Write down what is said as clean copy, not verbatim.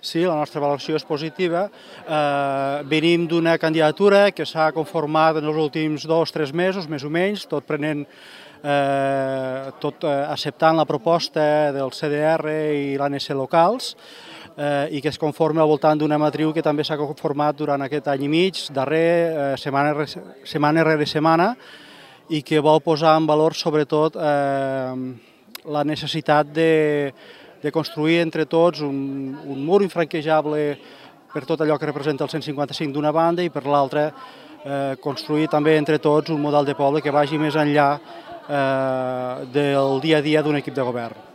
Sí, la nostra valoració és positiva. Venim d'una candidatura que s'ha conformat en els últims 2 o 3 mesos, més o menys, tot acceptant la proposta del CDR i l'ANC locals, i que es conforma al voltant d'una matriu que també s'ha conformat durant aquest any i mig, darrer, setmana rere setmana, i que vol posar en valor sobretot la necessitat de construir entre tots un mur infranquejable per tot allò que representa el 155 d'una banda i per l'altra construir també entre tots un model de poble que vagi més enllà del dia a dia d'un equip de govern.